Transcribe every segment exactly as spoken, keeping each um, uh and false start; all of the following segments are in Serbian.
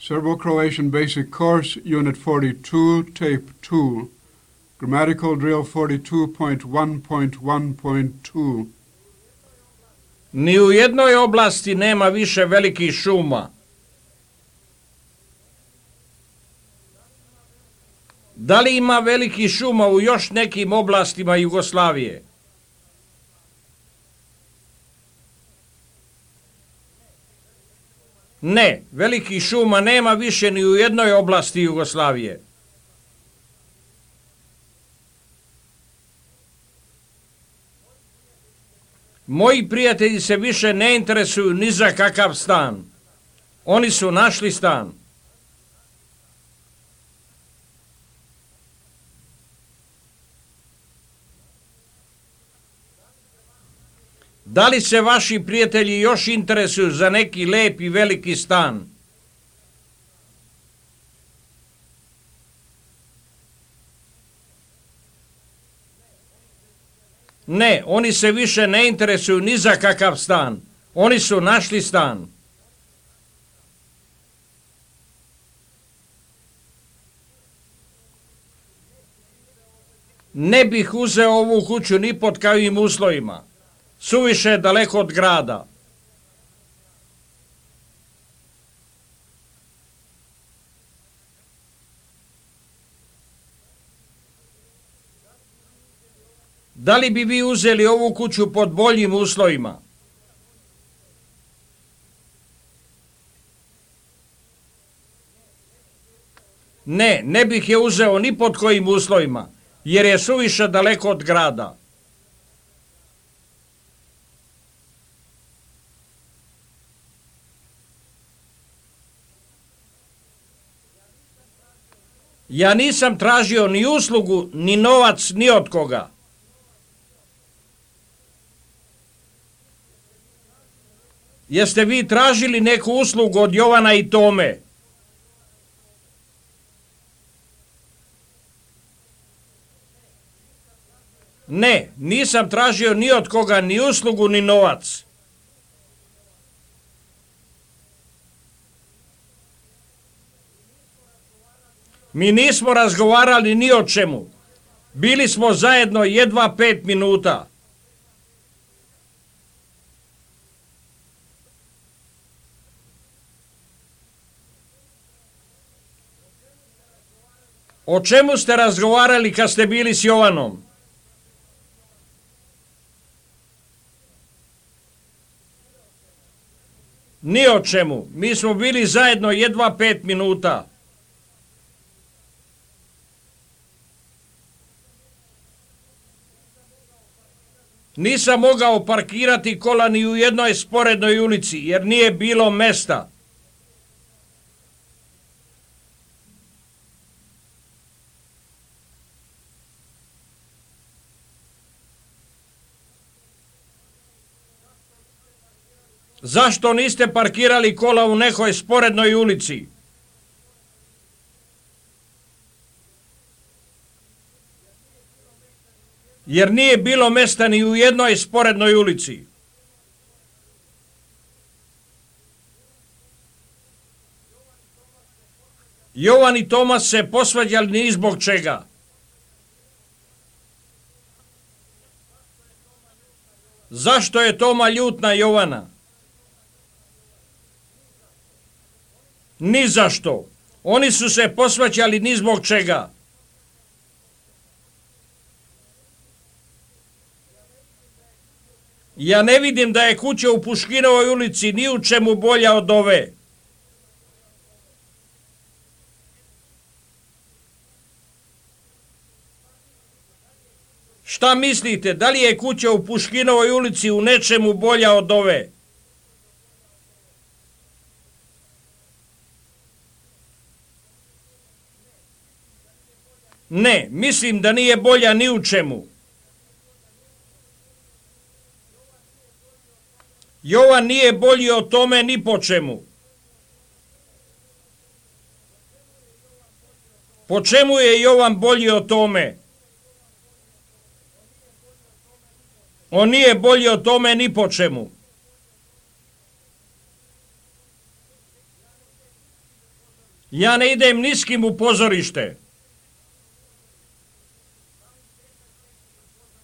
Serbo-Croatian Basic Course, Unit forty-two, Tape two, Grammatical Drill forty-two point one point one point two. Ni u jednoj oblasti nema više velikih šuma. Da li ima velikih šuma u još nekim oblastima Jugoslavije? Ne, velikih šuma nema više ni u jednoj oblasti Jugoslavije. Moji prijatelji se više ne interesuju ni za kakav stan. Oni su našli stan. Da li se vaši prijatelji još interesuju za neki lep i veliki stan? Ne, oni se više ne interesuju ni za kakav stan. Oni su našli stan. Ne bih uzeo ovu kuću ni pod kakvim uslovima. Suviše je daleko od grada. Da li bi vi uzeli ovu kuću pod boljim uslovima? Ne, ne bih je uzeo ni pod kojim uslovima, jer je suviše daleko od grada. Ja nisam tražio ni uslugu, ni novac, ni od koga. Jeste vi tražili neku uslugu od Jovana i Tome? Ne, nisam tražio ni od koga ni uslugu, ni novac. Mi nismo razgovarali ni o čemu. Bili smo zajedno jedva pet minuta. O čemu ste razgovarali kad ste bili s Jovanom? Ni o čemu. Mi smo bili zajedno jedva pet minuta. Nisam mogao parkirati kola ni u jednoj sporednoj ulici, jer nije bilo mesta. Zašto niste parkirali kola u nekoj sporednoj ulici? Jer nije bilo mesta ni u jednoj sporednoj ulici. Jovan i Tomas se posvađali ni zbog čega. Zašto je Toma ljut na Jovana? Ni zašto. Oni su se posvađali ni zbog čega. Ja ne vidim da je kuća u Puškinovoj ulici ni u čemu bolja od ove. Šta mislite, da li je kuća u Puškinovoj ulici u nečemu bolja od ove? Ne, mislim da nije bolja ni u čemu. Jovan nije bolji o tome ni po čemu. Po čemu je Jovan bolji o tome? On nije bolji o tome ni po čemu. Ja ne idem ni s kim u pozorište.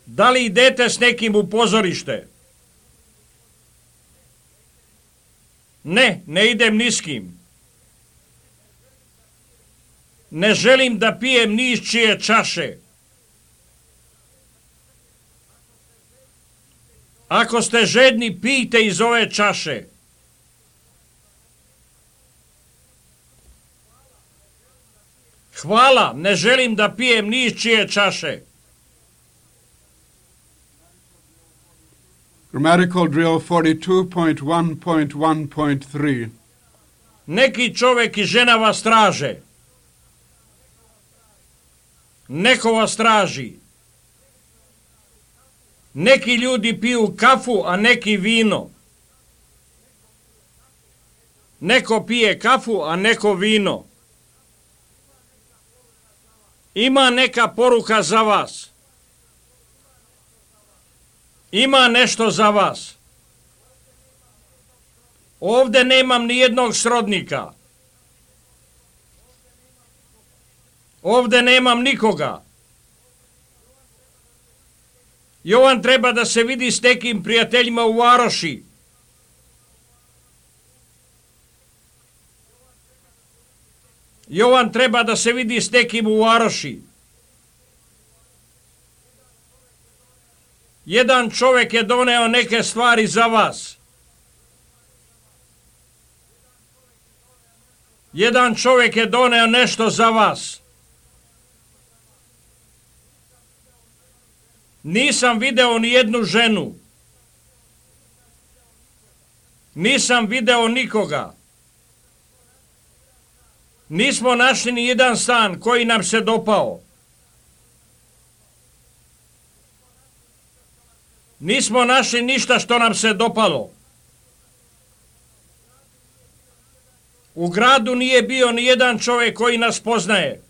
Da li idete s nekim u pozorište? Ne, ne idem ni s kim. Ne želim da pijem ni iz čije čaše. Ako ste žedni, pijte iz ove čaše. Hvala, ne želim da pijem ni iz čije čaše. Grammatical drill forty-two point one point one point three. Neki čovjek i žena vas traže. Neko vas traži. Neki ljudi piju kafu, a neki vino. Neko pije kafu, a neko vino. Ima neka poruka za vas. Ima nešto za vas. Ovdje nemam ni jednog srodnika. Ovdje nemam nikoga. Jovan treba da se vidi s nekim prijateljima u Varoši. Jovan treba da se vidi s nekim u Varoši. Jedan čovjek je doneo neke stvari za vas. Jedan čovjek je doneo nešto za vas. Nisam video ni jednu ženu. Nisam video nikoga. Nismo našli ni jedan stan koji nam se dopao. Nismo našli ništa što nam se dopalo. U gradu nije bio ni jedan čovjek koji nas poznaje.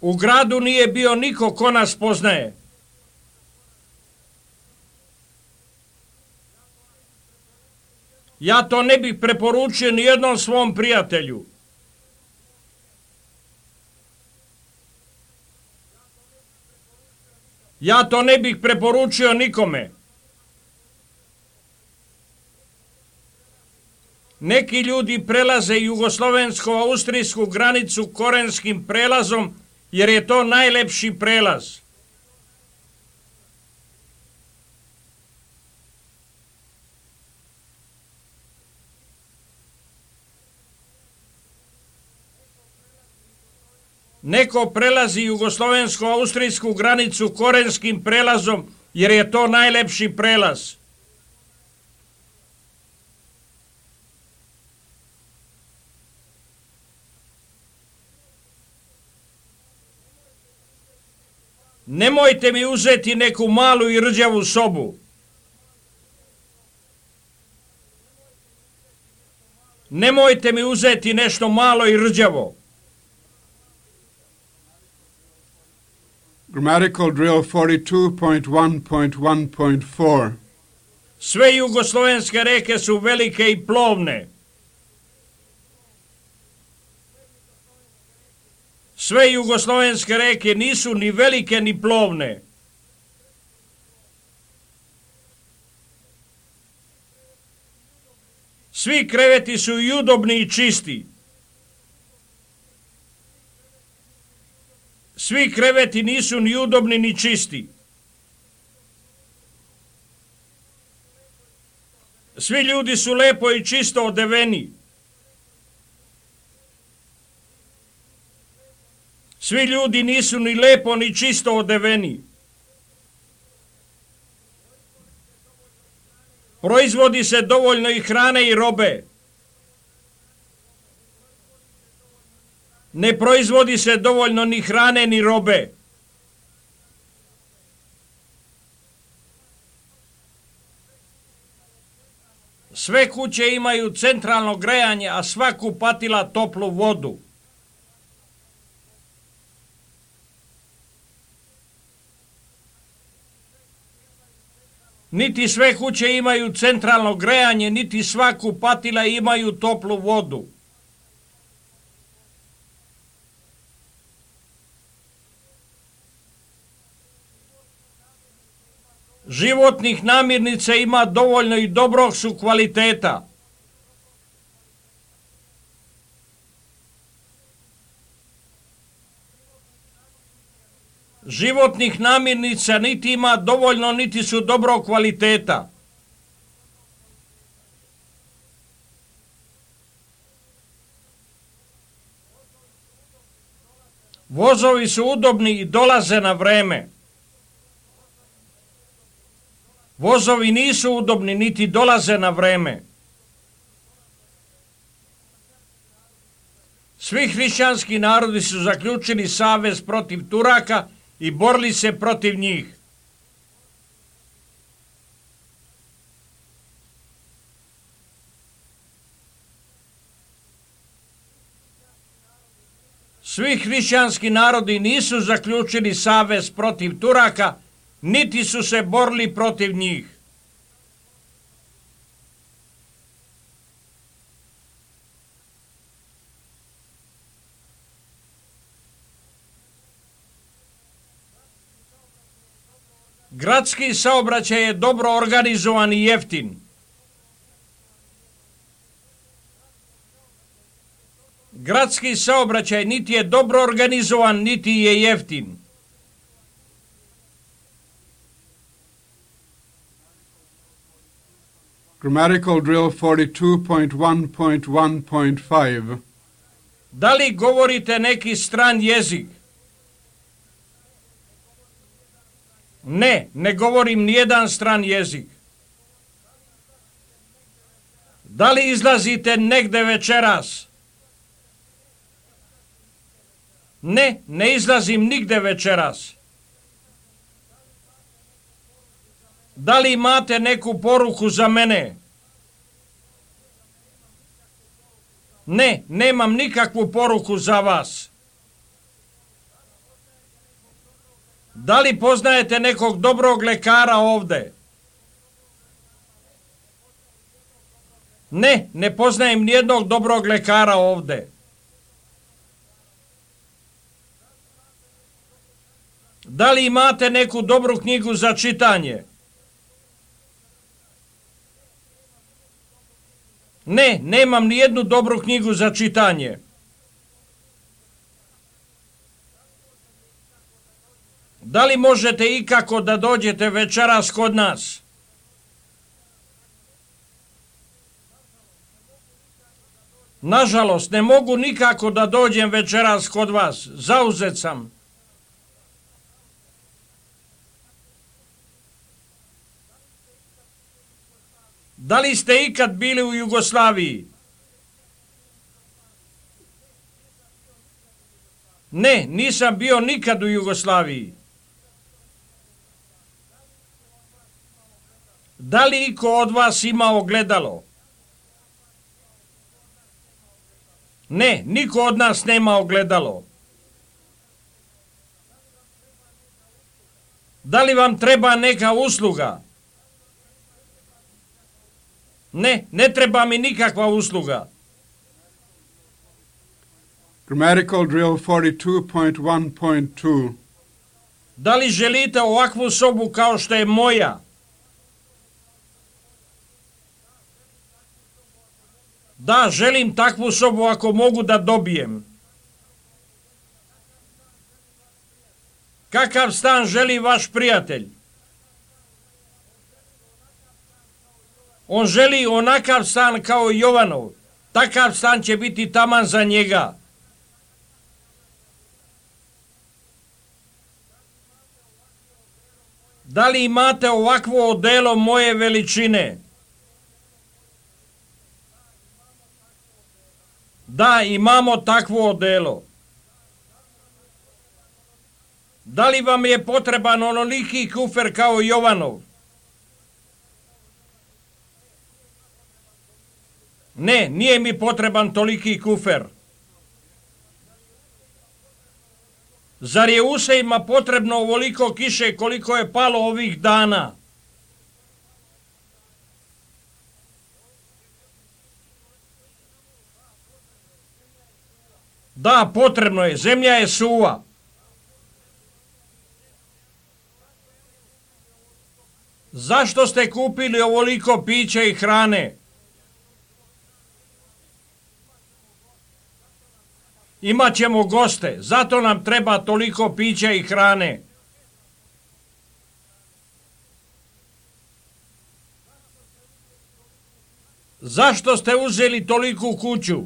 U gradu nije bio niko ko nas poznaje. Ja to ne bih preporučio ni jednom svom prijatelju. Ja to ne bih preporučio nikome. Neki ljudi prelaze jugoslovensko-austrijsku granicu korenskim prelazom, jer je to najlepši prelaz. Neko prelazi jugoslovensko-austrijsku granicu korenskim prelazom, jer je to najlepši prelaz. Nemojte mi uzeti neku malu i rđavu sobu. Nemojte mi uzeti nešto malo i rđavo. Grammatical drill forty-two point one point one point four. Sve jugoslovenske reke su velike i plovne. Sve jugoslovenske reke nisu ni velike ni plovne. Svi kreveti su i udobni i čisti. Svi kreveti nisu ni udobni ni čisti. Svi ljudi su lepo i čisto odeveni. Svi ljudi nisu ni lepo ni čisto odeveni. Proizvodi se dovoljno i hrane i robe. Ne proizvodi se dovoljno ni hrane ni robe. Sve kuće imaju centralno grejanje, a sva kupatila toplu vodu. Niti sve kuće imaju centralno grejanje, niti sva kupatila imaju toplu vodu. Životnih namirnica ima dovoljno i dobrog su kvaliteta. Životnih namirnica niti ima dovoljno, niti su dobrog kvaliteta. Vozovi su udobni i dolaze na vreme. Vozovi nisu udobni, niti dolaze na vreme. Svi hrišćanski narodi su zaključili savez protiv Turaka i borili se protiv njih. Svi hrišćanski narodi nisu zaključili savez protiv Turaka, niti su se borili protiv njih. Gradski saobraćaj je dobro organizovan i jeftin. Gradski saobraćaj niti je dobro organizovan, niti je jeftin. Grammatical drill forty-two point one point one point five. Da li govorite neki stran jezik? Ne, ne govorim nijedan stran jezik. Da li izlazite negde večeras? Ne, ne izlazim nigde večeras. Da li imate neku poruku za mene? Ne, nemam nikakvu poruku za vas. Da li poznajete nekog dobrog lekara ovde? Ne, ne poznajem nijednog dobrog lekara ovde. Da li imate neku dobru knjigu za čitanje? Ne, nemam nijednu dobru knjigu za čitanje. Da li možete ikako da dođete večeras kod nas? Nažalost, ne mogu nikako da dođem večeras kod vas. Zauzet sam. Da li ste ikad bili u Jugoslaviji? Ne, nisam bio nikad u Jugoslaviji. Da li iko od vas ima ogledalo? Ne, niko od nas nema ogledalo. Da li vam treba neka usluga? Ne, ne treba mi nikakva usluga. Grammatical drill forty-two point one point two. Da li želite ovakvu sobu kao što je moja? Da, želim takvu sobu ako mogu da dobijem. Kakav stan želi vaš prijatelj? On želi onakav stan kao Jovanov. Takav stan će biti taman za njega. Da li imate ovakvo odelo moje veličine? Da, imamo takvo odelo. Da li vam je potreban onoliki kufer kao Jovanov? Ne, nije mi potreban toliki kufer. Zar je usejima potrebno ovoliko kiše koliko je palo ovih dana? Da, potrebno je, zemlja je suva. Zašto ste kupili ovoliko pića i hrane? Imaćemo goste, zato nam treba toliko pića i hrane. Zašto ste uzeli toliku kuću?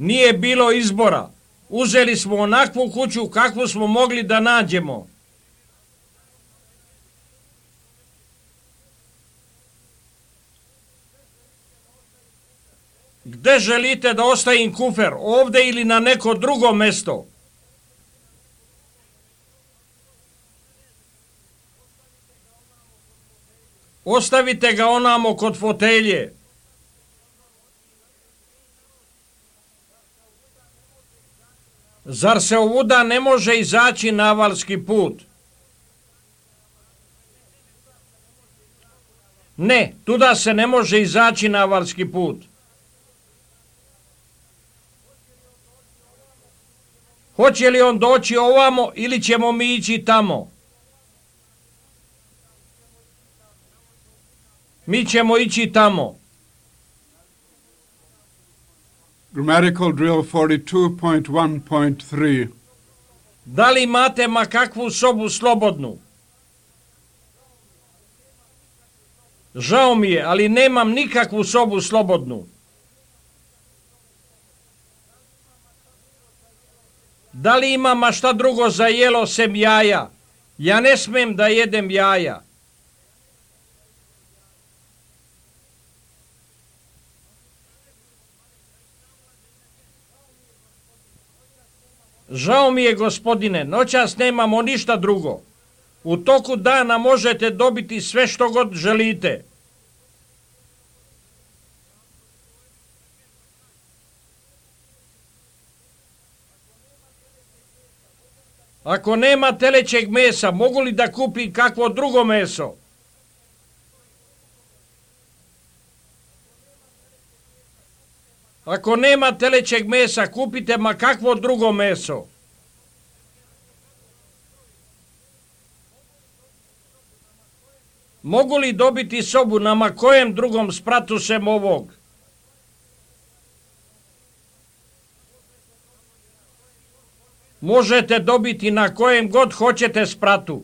Nije bilo izbora. Uzeli smo onakvu kuću kakvu smo mogli da nađemo. Gde želite da ostavim kufer? Ovde ili na neko drugo mesto? Ostavite ga onamo kod fotelje. Zar se ovuda ne može izaći na avalski put? Ne, tuda se ne može izaći na avalski put. Hoće li on doći ovamo ili ćemo mi ići tamo? Mi ćemo ići tamo. Grammatical drill forty-two point one point three. Da li imate ma kakvu sobu slobodnu? Žao mi je, ali nemam nikakvu sobu slobodnu. Da li ima ma šta drugo za jelo sem jaja? Ja ne smem da jedem jaja. Žao mi je, gospodine, noćas nemamo ništa drugo. U toku dana možete dobiti sve što god želite. Ako nema telećeg mesa, mogu li da kupim kakvo drugo meso? Ako nema telećeg mesa, kupite ma kakvo drugo meso. Mogu li dobiti sobu na ma kojem drugom spratu sem ovog? Možete dobiti na kojem god hoćete spratu.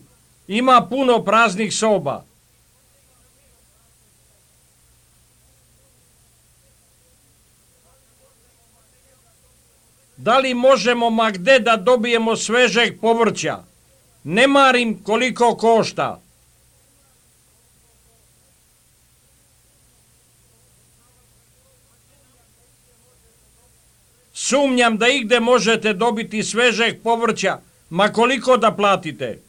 Ima puno praznih soba. Da li možemo ma gde da dobijemo svežeg povrća? Ne marim koliko košta. Sumnjam da igde možete dobiti svežeg povrća, ma koliko da platite.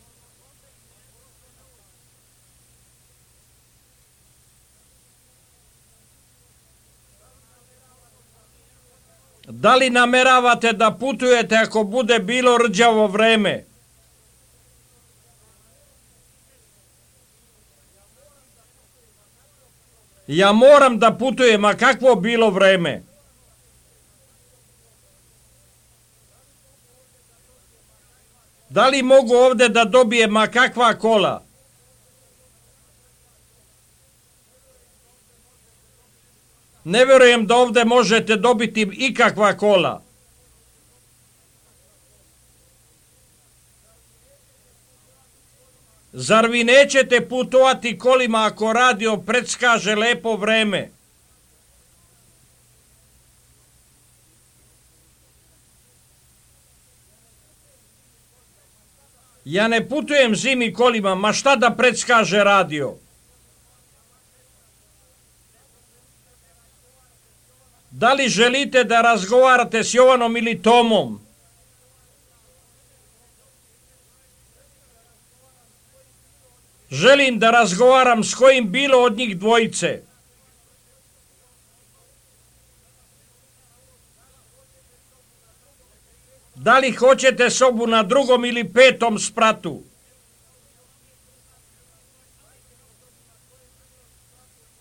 Da li nameravate da putujete ako bude bilo rđavo vreme? Ja moram da putujem, a kakvo bilo vreme? Da li mogu ovde da dobijem ma kakva kola? Ne verujem da ovde možete dobiti ikakva kola. Zar vi nećete putovati kolima ako radio predskaže lepo vreme? Ja ne putujem zimi kolima, ma šta da predskaže radio? Da li želite da razgovarate s Jovanom ili Tomom? Želim da razgovaram s kojim bilo od njih dvojice. Da li hoćete sobu na drugom ili petom spratu?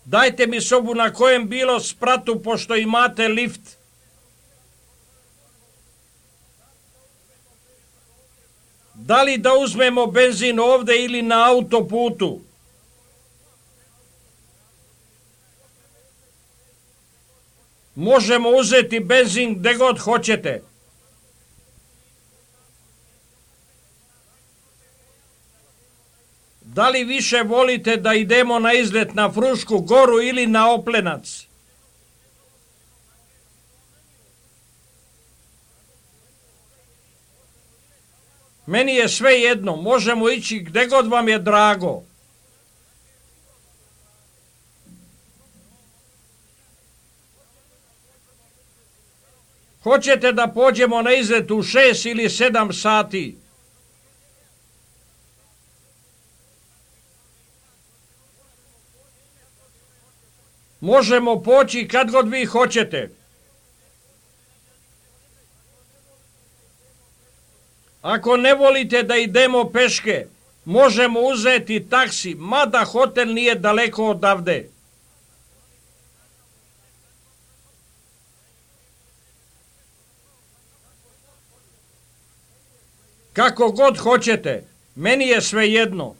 Dajte mi sobu na kojem bilo spratu, pošto imate lift. Da li da uzmemo benzin ovde ili na autoputu? Možemo uzeti benzin gde god hoćete. Da li više volite da idemo na izlet na Frušku goru ili na Oplenac? Meni je sve jedno, možemo ići gde god vam je drago. Hoćete da pođemo na izlet u šest ili sedam sati? Možemo poći kad god vi hoćete. Ako ne volite da idemo peške, možemo uzeti taksi, mada hotel nije daleko odavde. Kako god hoćete, meni je sve jedno.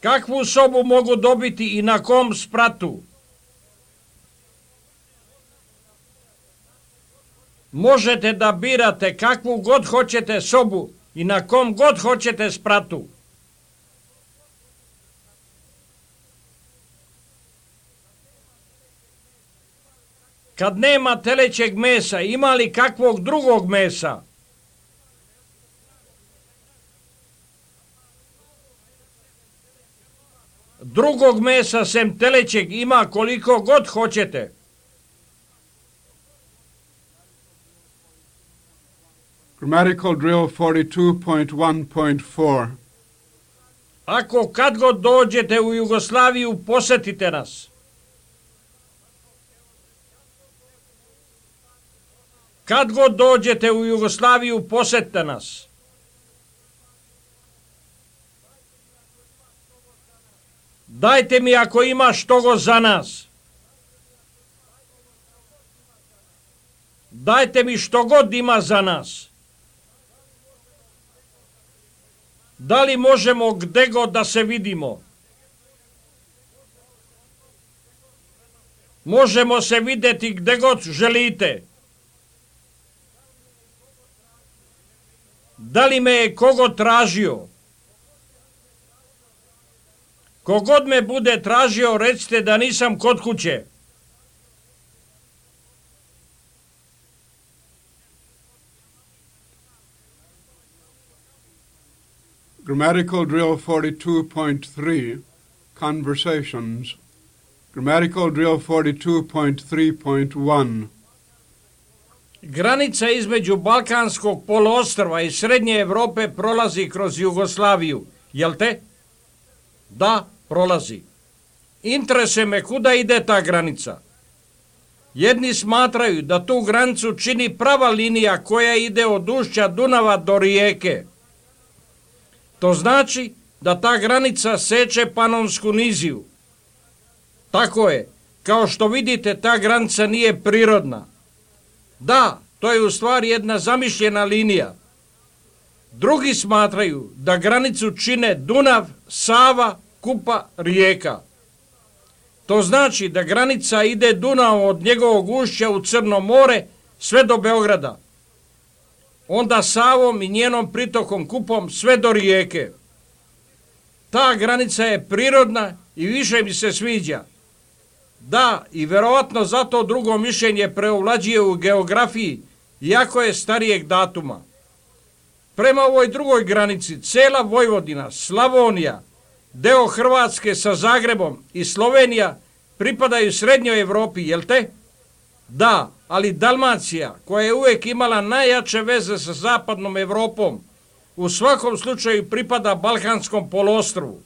Kakvu sobu mogu dobiti i na kom spratu? Možete da birate kakvu god hoćete sobu i na kom god hoćete spratu. Kad nema telećeg mesa, ima li kakvog drugog mesa? Drugog mesa sem telećeg ima koliko god hoćete. Grammatical drill forty-two point one point four. Ako kad god dođete u Jugoslaviju, posetite nas. Kad god dođete u Jugoslaviju, posetite nas. Dajte mi ako ima štogo za nas. Dajte mi što god ima za nas. Da li možemo gde god da se vidimo? Možemo se videti gde god želite. Da li me je kogo tražio? Kogod me bude tražio, recite da nisam kod kuće. Grammatical drill forty-two point three, conversations. Grammatical drill forty-two point three point one. Granica između Balkanskog poluostrva i Srednje Evrope prolazi kroz Jugoslaviju, jel te? Da, prolazi. Interesuje me kuda ide ta granica. Jedni smatraju da tu granicu čini prava linija koja ide od ušća Dunava do Rijeke. To znači da ta granica seče Panonsku niziju. Tako je, kao što vidite, ta granica nije prirodna. Da, to je u stvari jedna zamišljena linija. Drugi smatraju da granicu čine Dunav, Sava, Kupa, Rijeka. To znači da granica ide Dunavom od njegovog ušća u Crno more sve do Beograda. Onda Savom i njenom pritokom Kupom sve do Rijeke. Ta granica je prirodna i više mi se sviđa. Da, i verovatno zato drugo mišljenje preovlađuje u geografiji, iako je starijeg datuma. Prema ovoj drugoj granici, cela Vojvodina, Slavonija, deo Hrvatske sa Zagrebom i Slovenija pripadaju Srednjoj Evropi, jel te? Da, ali Dalmacija, koja je uvijek imala najjače veze sa zapadnom Evropom, u svakom slučaju pripada Balkanskom poluostrvu.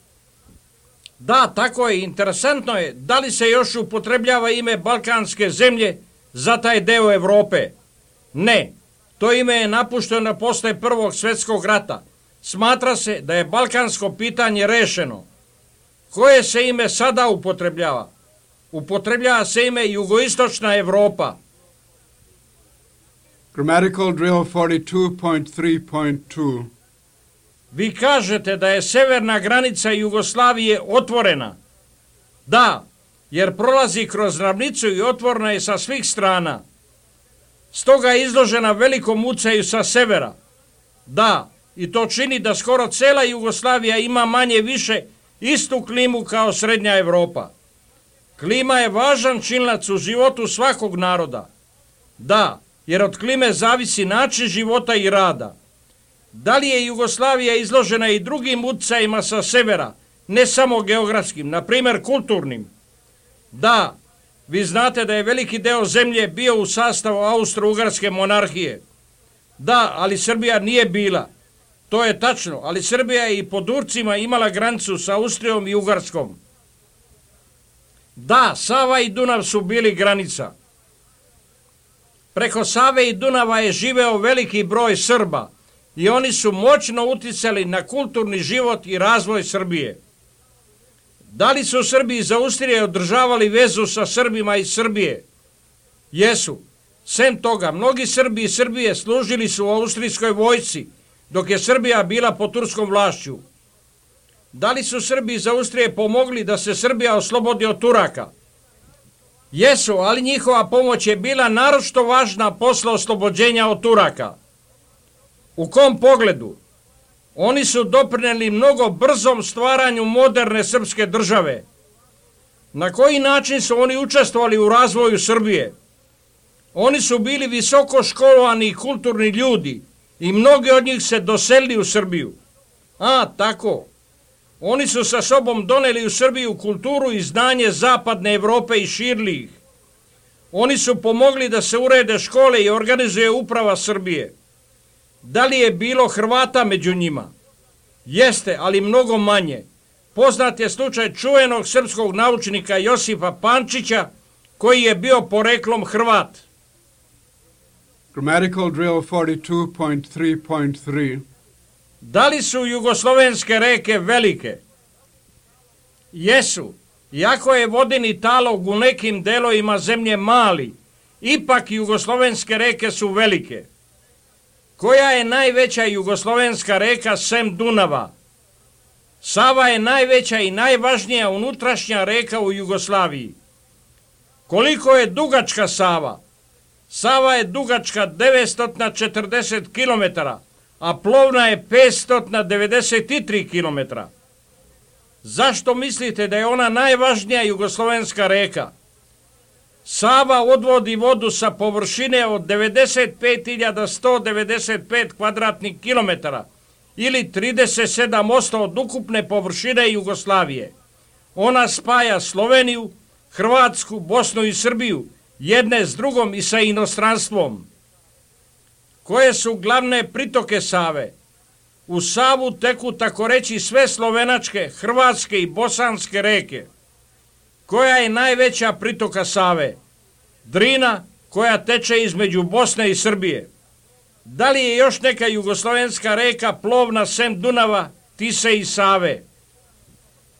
Da, tako je, interesantno je, da li se još upotrebljava ime balkanske zemlje za taj deo Evrope? Ne, to ime je napušteno posle Prvog svjetskog rata. Smatra se da je balkansko pitanje rešeno. Koje se ime sada upotrebljava? Upotrebljava se ime Jugoistočna Evropa. Grammatical drill forty-two point three point two. Vi kažete da je severna granica Jugoslavije otvorena. Da, jer prolazi kroz ravnicu i otvorena je sa svih strana. Stoga je izložena velikom ucaju sa severa. Da, i to čini da skoro cela Jugoslavija ima manje više istu klimu kao srednja Evropa. Klima je važan činilac u životu svakog naroda. Da, jer od klime zavisi način života i rada. Da li je Jugoslavija izložena i drugim uticajima sa severa, ne samo geografskim, na primjer kulturnim? Da, vi znate da je veliki deo zemlje bio u sastavu Austro-Ugarske monarhije. Da, ali Srbija nije bila. To je tačno, ali Srbija je i po Turcima imala granicu sa Austrijom i Ugarskom. Da, Sava i Dunav su bili granica. Preko Save i Dunava je živeo veliki broj Srba i oni su moćno uticali na kulturni život i razvoj Srbije. Da li su Srbi iz Austrije održavali vezu sa Srbima iz Srbije? Jesu. Sem toga, mnogi Srbi iz Srbije služili su u austrijskoj vojsci, dok je Srbija bila pod turskom vlašću. Da li su Srbi iz Austrije pomogli da se Srbija oslobodi od Turaka? Jesu, ali njihova pomoć je bila naročito važna posle oslobođenja od Turaka. U kom pogledu? Oni su doprineli mnogo brzom stvaranju moderne srpske države. Na koji način su oni učestvovali u razvoju Srbije? Oni su bili visoko školovani i kulturni ljudi i mnogi od njih se doselili u Srbiju. A, tako. Oni su sa sobom doneli u Srbiju kulturu i znanje zapadne Evrope i širili ih. Oni su pomogli da se urede škole i organizuje uprava Srbije. Da li je bilo Hrvata među njima? Jeste, ali mnogo manje. Poznat je slučaj čuvenog srpskog naučnika Josipa Pančića, koji je bio poreklom Hrvat. Grammatical drill forty-two point three point three. Da li su jugoslovenske reke velike? Jesu. Iako je vodeni talog u nekim delovima zemlje mali, ipak jugoslovenske reke su velike. Koja je najveća jugoslovenska reka sem Dunava? Sava je najveća i najvažnija unutrašnja reka u Jugoslaviji. Koliko je dugačka Sava? Sava je dugačka devetsto četrdeset kilometara, a plovna je petsto devedeset tri kilometra. Zašto mislite da je ona najvažnija jugoslovenska reka? Sava odvodi vodu sa površine od devedeset pet hiljada sto devedeset pet kvadratnih kilometara ili trideset sedam posto od ukupne površine Jugoslavije. Ona spaja Sloveniju, Hrvatsku, Bosnu i Srbiju, jedne s drugom i sa inostranstvom. Koje su glavne pritoke Save? U Savu teku tako reći sve slovenačke, hrvatske i bosanske reke. Koja je najveća pritoka Save? Drina, koja teče između Bosne i Srbije. Da li je još neka jugoslovenska reka plovna sem Dunava, Tise i Save?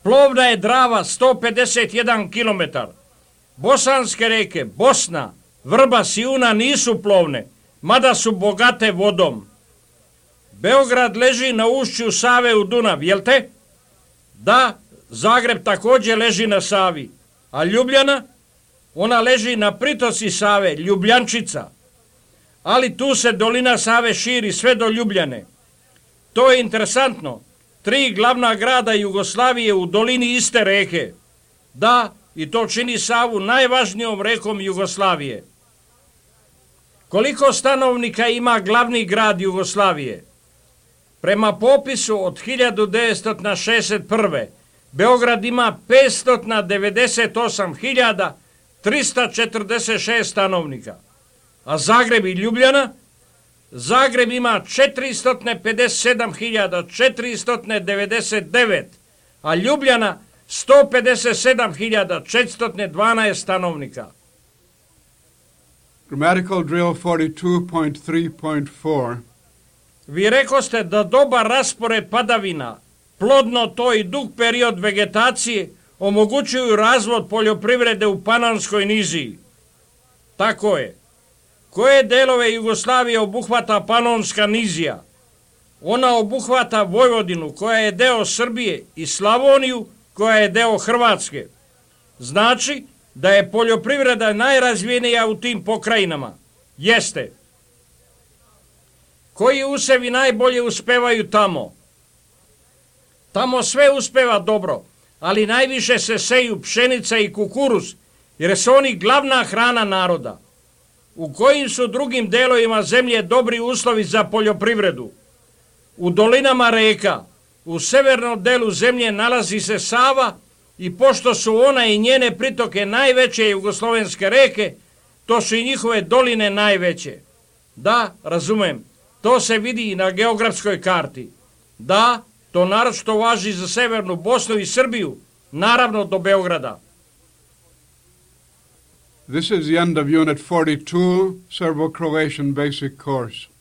Plovna je Drava, sto pedeset jedan kilometar. Bosanske reke, Bosna, Vrbas i Una nisu plovne, mada su bogate vodom. Beograd leži na ušću Save u Dunav, jel te? Da, Zagreb također leži na Savi. A Ljubljana? Ona leži na pritoci Save, Ljubljančica. Ali tu se dolina Save širi sve do Ljubljane. To je interesantno. Tri glavna grada Jugoslavije u dolini iste reke. Da, i to čini Savu najvažnijom rekom Jugoslavije. Koliko stanovnika ima glavni grad Jugoslavije? Prema popisu od hiljadu devetsto šezdeset prve. Beograd ima petsto devedeset osam hiljada trista četrdeset šest stanovnika. A Zagreb i Ljubljana? Zagreb ima četiristo pedeset sedam hiljada četiristo devedeset devet, a Ljubljana sto pedeset sedam hiljada četiristo dvanaest stanovnika. Grammatical drill forty-two point three point four. Vi rekoste da dobar raspored padavina plodno to i dug period vegetacije omogućuju razvod poljoprivrede u Panonskoj niziji. Tako je. Koje delove Jugoslavije obuhvata Panonska nizija? Ona obuhvata Vojvodinu, koja je deo Srbije, i Slavoniju, koja je deo Hrvatske. Znači da je poljoprivreda najrazvijenija u tim pokrajinama. Jeste. Koji usevi najbolje uspevaju tamo? Tamo sve uspeva dobro, ali najviše se seju pšenica i kukuruz, jer su oni glavna hrana naroda. U kojim su drugim delovima zemlje dobri uslovi za poljoprivredu? U dolinama reka, u severnom delu zemlje nalazi se Sava i pošto su ona i njene pritoke najveće jugoslovenske reke, to su i njihove doline najveće. Da, razumem, to se vidi i na geografskoj karti. Da, to naročito važi za severnu Bosnu i Srbiju, naravno do Beograda. This is the end of Unit forty-two, Serbo-Croatian Basic Course.